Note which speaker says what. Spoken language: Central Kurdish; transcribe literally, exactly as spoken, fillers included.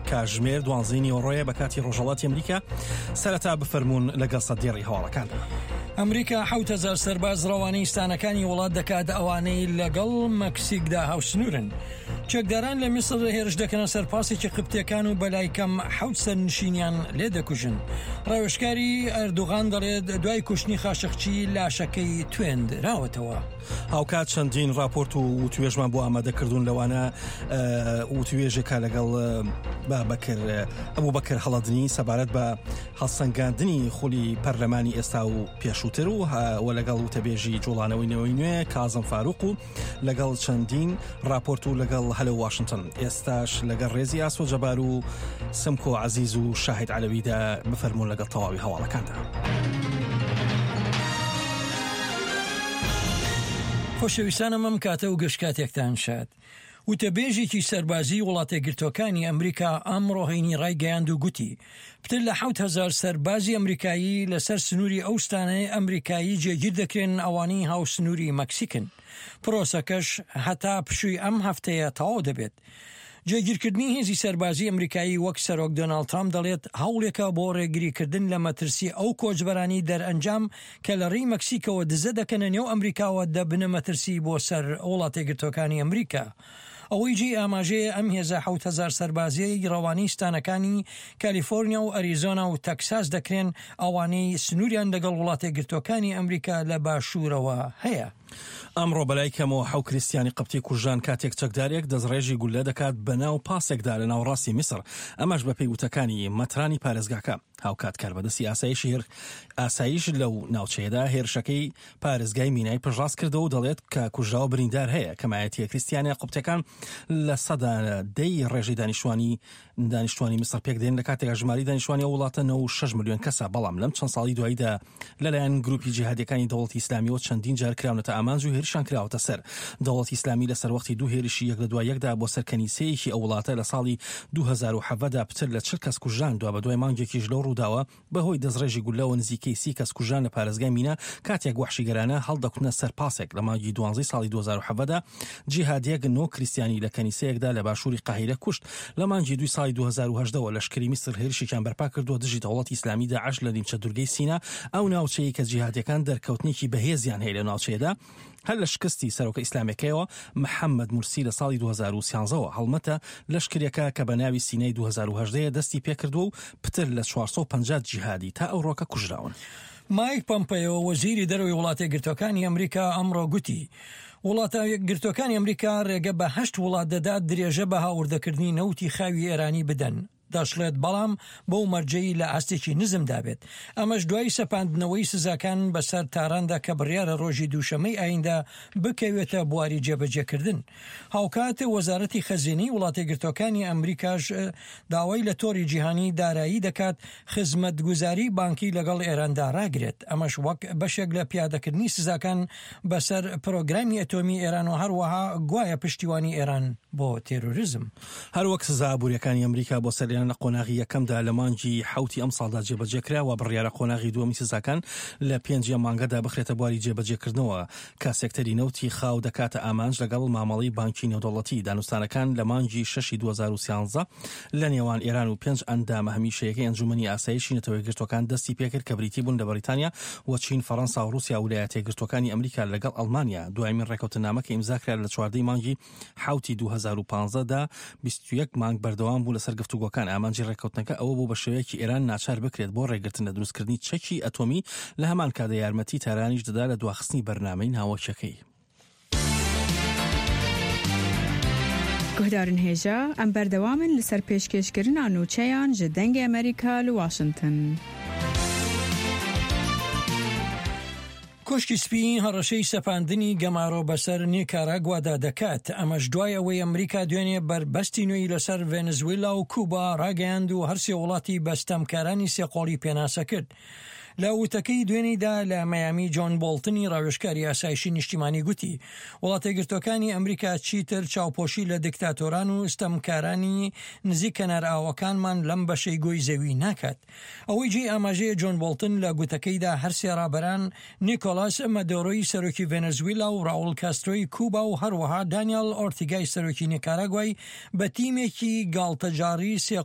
Speaker 1: کاژمێر دوانزەی نیوەڕۆیە بە کاتی ڕۆژهەڵاتی ئەمریکا. سەرەتا بفەرموون لەگەڵ سەدێڕی هەواڵەکاندا.
Speaker 2: ئەمریکا حەوت هەزار سەرباز ڕەوانەی ستانەکانی وڵات دەکات ئەوانەی لەگەڵ مەکسیکدا هاوسنوورن. چەکداران لە میسر هێرش دەکەنە سەر پاسێکی قبتیەکان و بەلای کەم حەوت سەرنشینیان لێ دەکوژن. ڕاوێژکاری ئەردۆغان دەڵێت دوای کوشتنی خاشقچی لاشەکەی توێندراوەتەوە.
Speaker 1: هاوکات چەندین راپۆرت و وتوێژمان بۆ ئامادەکردوون، لەوانە وتوێژێکە لەگەڵ بابەکر ئەبوبەکر هەڵەدنی سەبارەت بە هەڵسەنگاندنی خولی پەرلەمانی ئێستا و پێشووتر و و لەگەڵ وتەبێژی جوڵانەوەی نەوەی نوێ کازم فاروق و لەگەڵ چەندین راپۆرت و لەگەڵ هەلۆ واشنتن. ئێستاش لەگەڵ ڕێزی ئاسۆ جەبار و سمکۆ عەزیز و شاهید عەلەویدا بفەرموون لەگەڵ تەواوی هەواڵەکاندا.
Speaker 2: خۆشەویستانم ئەم کاتە و گشت کاتێکتان شاد. وتەبێژێکی سەربازی وڵاتەیەکگرتووەکانی ئەمریکا ئەمڕۆ هەینی ڕایگەیاند و گوتی پتر لە حەوت هەزار سەربازی ئەمریکایی لەسەر سنووری ئەو ستانەی ئەمریکایی جێگیر دەکرێن ئەوانەی هاوسنووری مەکسیکن. پرۆسەکەش هەتا پشووی ئەم هەفتەیە تەواو دەبێت. جێگیرکردنی هێزی سەربازی ئەمریکایی وەک سەرۆک دۆناڵد ترامپ دەڵێت هەوڵێکە بۆ ڕێگریکردن لە مەترسی ئەو کۆچبەرانی دەرئەنجام کە لە ڕێی مەکسیکەوە دزە دەکەنە نێو ئەمریکاوە دەبنە مەترسی بۆ سەر وڵاتەیەکگرتووەکانی ئەمریکا. ئەوەی جێی ئاماژەیە ئەم هێزە حەوت هەزار سەربازیەی ڕەوانەی ستانەکانی کالیفۆرنیا و ئەریزۆنا و تەکساس دەکرێن ئەوانەی سنووریان لەگەڵ وڵاتەیەکگرتووەکانی ئەمریکا لە باشوورەوە هەیە.
Speaker 1: ئەمڕۆ بەلای کەمەوە حەو کریستیانی قبتی کوژران کاتێک چەکدارێک دەستڕێژی گوللە دەکات بەناو پاسێکدا لە ناوەڕاستی میسر، ئەمەش بەپێی وتەکانی مەترانی پارێزگاکە. هاوکات کاربەدەستی ئاسایشی هێر ئاسایش لەو ناوچەیەدا هێرشەکەی پارێزگای مینای پشتڕاست کردەوە و دەڵێت کە کوژراوە بریندار هەیە. کەمایەتیە کریستیانە قبتەکان لە سەدا دەی ڕێژەی دانیشتوانی دانیشتوانی میسر پێک دێن، لە کاتێکا ژمارەی دانیشتوانی ئەو وڵاتە نەوەد و شەش ملیۆن کەسە، بەڵام لەم چەند ساڵی دواییدا لەلایەن گروپی جیهادیەکانی دەوڵەتی ئیسلامیەوە چەندین جار کراونەتە ئامانج و هێرشان کراوەتە سەر. دەوڵەتی ئیسلامی لە سەروەختی دوو هێرشی یەک لە دوای یەکدا بۆ سەر کەنیسەیەکی ئەو وڵاتە لە ساڵی دوو هەزار و حەڤدە دا پتر لە چل کەس کوژران. دوابەدوای مانگێکیش لەو ڕووداوە بەهۆی دەستڕێژی گوللەوە نزیکەی سی کەس کوژران لە پارێزگای مینا کاتێک وەحشیگەرانە هەڵدەکوتنە سەر پاسێک. لە مانگی دوانزەی ساڵی دوو هەزار و حەڤدە دا جیهادیەک نۆ کریستیانی لە کەنیسەیەکدا لە باشووری قاهیرە کوشت. لە مانگی دووی ساڵی دوو هەزار و هەژدە وە لەشکری میسر هێرشێکیان بەرپا کردووە دژی دەوڵەتی ئیسلامی داعش لە نیمچە دوورگەی سینا، ئەو ناوچەیە کە جیهادیەکان دەرکەوتنێکی بەهێزیان هەیە لە ناوچەیەدا. هەر لە شکستی سەرۆکە ئیسلامیەکەیەوە محەممەد مورسی لە ساڵی دوو هەزار و سیانزە وە هەڵمەتە لەشکریەکە کە بە ناوی سینای دوو هەزار و هەژدە یە دەستی پێکردووە و پتر لە چوار سەد و پەنجا جیهادی تا ئەوڕۆکە کوژراون.
Speaker 2: مایک پۆمپەیۆ وەزیری دەرەوەی وڵاتەیەکگرتووەکانی ئەمریکا ئەمڕۆ گوتی وڵاتەیەکگرتووەکانی ئەمریکا ڕێگە بە هەشت وڵات دەدات درێژە بە هاوردەکردنی نەوتی خاوی ئێرانی بدەن. دەشڵێت بەڵام بەو مەرجەی لە ئاستێکی نزمدا بێت. ئەمەش دوای سەپاندنەوەی سزاکان بەسەر تاراندا کە بڕیارە ڕۆژی دووشەمەی ئایندە بکەوێتە بواری جێبەجێکردن. هاوکات وەزارەتی خەزێنەی وڵاتەیەکگرتووەکانی ئەمریکاش داوای لە تۆڕی جیهانی دارایی دەکات خزمەتگوزاری بانکی لەگەڵ ئێراندا ڕاگرێت، ئەمەش وەک بەشێک لە پیادەکردنی سزاکان بەسەر پرۆگرامی ئەتۆمی ئێران و هەروەها گوایە پشتیوانی ئێران بۆ تێرۆریزم.
Speaker 1: هەروەک سزا ئابووریەکانی ئەمریکا بۆ سەر ئێران لە قۆناغی یەکەمدا لە مانگی حەوتی ئەمساڵدا جێبەجێکرا و بڕیارە قۆناغی دووەمی سزاکان لە پێنجی ئەم مانگەدا بخرێتە بواری جێبەجێکردنەوە کە سێکتەری نەوتی خاو دەکاتە ئامانج لەگەڵ مامەڵەی بانکی نێودەوڵەتی. دانوستانەکان لە مانگی شەشی دوو هەزار و سیانزە لە نێوان ئێران و پێنج ئەندامە هەمیشەیەکەی ئەنجومەنی ئاسایشی نەتەوەیەکگرتووەکان دەستی پێکرد کە بریتی بوون لە بەریتانیا و چین، فەرەنسا و ڕووسیا و ویلایەتەیەکگرتووەکانی ئەمریکا لەگەڵ ئەڵمانیا. دوایین ڕێککەوتننامە کە ئیمزا کرا لە چواردە ی مانگی حەوتی دوو هەزار و پازدە دا بیست و یەک مانگ بەردەوام بوو لەسەر گفتوگۆکان. ئامانجی ڕێککەوتنەکە ئەوە بوو بە شێوەیەکی ئێران ناچار بکرێت بۆ ڕێگرتن لە دروستکردنی چەکی ئەتۆمی، لە هەمان کاتدا یارمەتی تارانیش دەدا لە دواخستنی بەرنامەی ناوەکیەکەی.
Speaker 3: گوهدارن هێژا ئەم بەردەوامن لەسەر پێشکێشکردنا نوچەیان ژ دەنگێ ئەمریکا لە واشنتن.
Speaker 2: کۆشکی سپی هەڕەشەی سەپاندنی گەمارۆ بەسەر نیکاراگوادا دەکات، ئەمەش دوای ئەوەی ئەمریکا دوێنێ بەربەستی نوێی لەسەر ڤێنزویلا و کوبا ڕاگەیاند و هەرسێ وڵاتی بە ستەمکارانی سێقۆڵی پێناسە کرد. لە وتەکەی دوێنێدا لە مەیامی جۆن بۆڵتنی ڕاوێژکاری ئاسایشی نیشتیمانی گوتی وڵاتەیەکگرتووەکانی ئەمریکا چیتر چاوپۆشی لە دیکتاتۆران و ستەمکارانی نزیک کەنارئاوەکانمان لەم بەشەی گۆی زەوی ناکات. ئەوەی جێی ئاماژەیە جۆن بۆڵتن لە گوتەکەیدا هەرسێ ڕابەران نیکۆلاس مادۆرۆی سەرۆکی ڤێنەزویلا و ڕاوڵ کاسترۆی کوبا و هەروەها دانیال ئۆرتیگای سەرۆکی نیکاراگوای بە تیمێکی گاڵتەجاڕی سێ